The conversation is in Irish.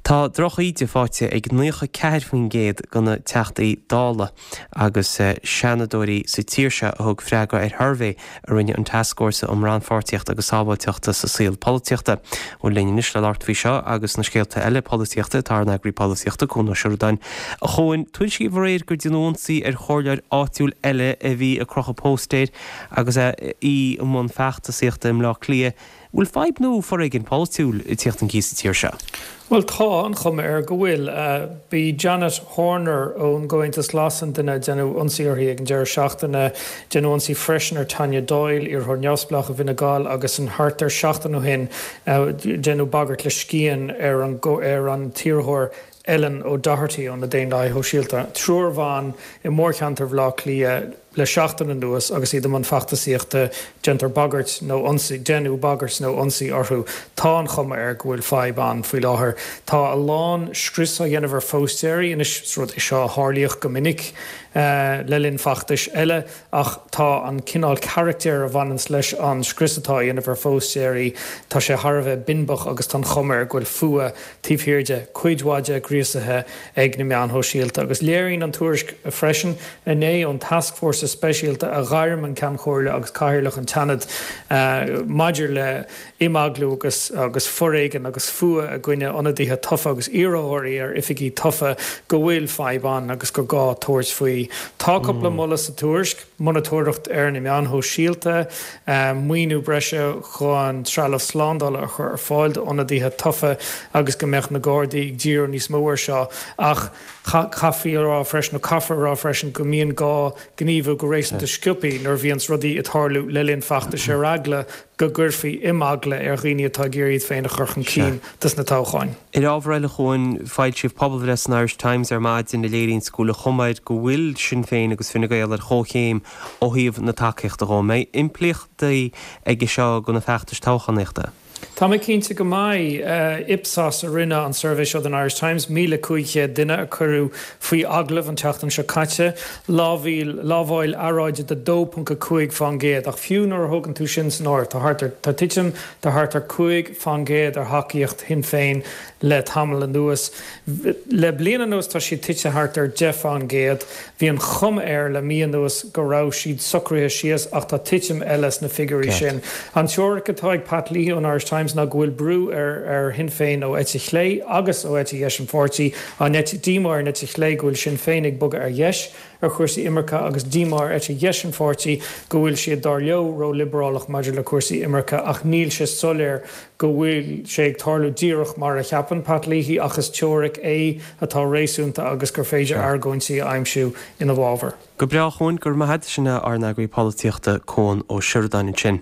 Tá droch-íde faighte ag 94% de na Teachtaí Dála agus Seanadóirí sa tír seo a thug freagra ar shuirbhé a rinne an Tascfhórsa um Rannpháirtíocht agus Sábháilteacht sa Saol Polaitíochta. Bhuel linn anois le labhairt faoi seo agus na scéalta eile polaitíochta tá ár n-eagraí polaitíochta, Cuan Ó Seireadáin. A Chuain, tuairiscíodh aréir gur déanadh ionsaí ar chomhairleoir áitiúil eile a bhí ag crochadh póstaeir agus í i mbun feachtasaíochta i mBleá Cliath. Bhfuil fadhb nua foréigin polaitiúil ag tíocht chun cinn sa tír seo? Bhuel, tá an chuma air go bhfuil. B'í Janet Horner ón gComhaontas Glas an duine a deineadh ionsaí uirthi ag an deireadh seachtaine. Deineadh ionsaí freisin ar Tanya Doyle, iarrthóir neamhspleách i bhFine Gall agus an thart ar seachtain ó shin deineadh bagairt le scian ar an ar an t-iarrthóir Ellen O'Doherty ó na Daonlathaithe Shóisialta. Triúr bhan i mórcheantar Bhaile Átha Cliath le seachtain anuas agus iad i mbun feachtasaíochta, déantar bagairt nó ionsaí, deineadh bagairt nó ionsaí orthu. Tá an chuma air go bhfuil fadhb ann faoi láthair. Tá a lán scrios á dhéanamh ar phóstaeirí anois, is rud é seo a tharlaíodh go minic le linn feachtais eile ach tá an cineál carachtair a bhaineanns leis an scrios atá á dhéanamh ar phóstaeirí, tá sé thar a bheith binbeach agus tá an chuma air go bhfuil fuath taobh thiar de, cuid mhaith de gríosaithe ag na meáin shóisialta. Agus léiríonn an tuairisc freisin inné ón Tascfhórsa Speisialta a ghairm an Ceann Comhairle agus Cathaoirleach an tSeanaid maidir le himeaglú agus agus foréigean agus fuath i gcoinne ionadaithe tofa agus iarrthóirí ar oifigí tofa go bhfuil fadhb ann agus gur gá tabhairt faoi. Tá cúpla moladh sa tuairisc. monatóireacht ar na meáin shóisialta, maoiniú breise chun trealamh slándála a chur ar fáil d'ionadaithe tofa agus go mbeadh na Gardaí ag díriú níos mó air seo. Ach chaithfí a rá freisin, nó caithfear a rá freisin, go mbíonn gá gníomhú go réasúnta sciobtha nuair a bhíonns rudaí ag tarlú le linn feachtais ar eagla go gcuirfí imeagla ar dhaoine atá ag iarraidh iad féin a chur chun cinn dos na toghcháin. Ar ábhar eile, a Chuain, foilsíodh pobalbhreith san Irish Times ar maidin a léiríonns go bhfuil an chuma air go bhfuil Sinn Féin agus Fine Gael ar chomhchéim ó thaobh na tacaíochta dhó. An mbeidh impleachtaí aige seo do na feachtais toghchánaíochta? Tá mé cinnte go mbeidh. Ipsos a rinne an suirbhé seo don Irish Times, 1,500 duine a cuireadh faoi agallamh an tseachtain seo caite. Lámhaíl, lámháil earráide de 2.5% ach fiú nuair a thógann tú sin san áireamh tá thart ar, tá titim de thart ar 5% ar thacaíocht Shinn Féin le tamall anuas. Le bliain anuas tá siad tite thart ar 10%. Bhí an chuma air le mí anuas go raibh siad socraithe síos ach tá titim eile sna figiúirí sin. An teoiric atá ag Pat Leahy ón Irish Times ná go bhfuil brú ar ar Shinn Féin ó eite chlé agus ó eite dheis an pháirtí, an eite, díomá ar an eite chlé go bhfuil Sinn Féin ag bogadh ar dheis ar chúrsaí imirce agus díomá ar eite dheis an pháirtí go bhfuil siad, dar leo, ró-liobrálach maidir le cúrsaí imirce ach níl sé soiléir go bhfuil sé ag tarlú díreach mar a cheapann Pat Leahy ach is teoiric é atá réasúnta agus gur féidir argóintí a aimsiú ina bhfabhar. Go breá, a Chuain, go raibh maith agat. Sin é ár n-eagraí polaitíochta Cuan Ó Seireadáin ansin.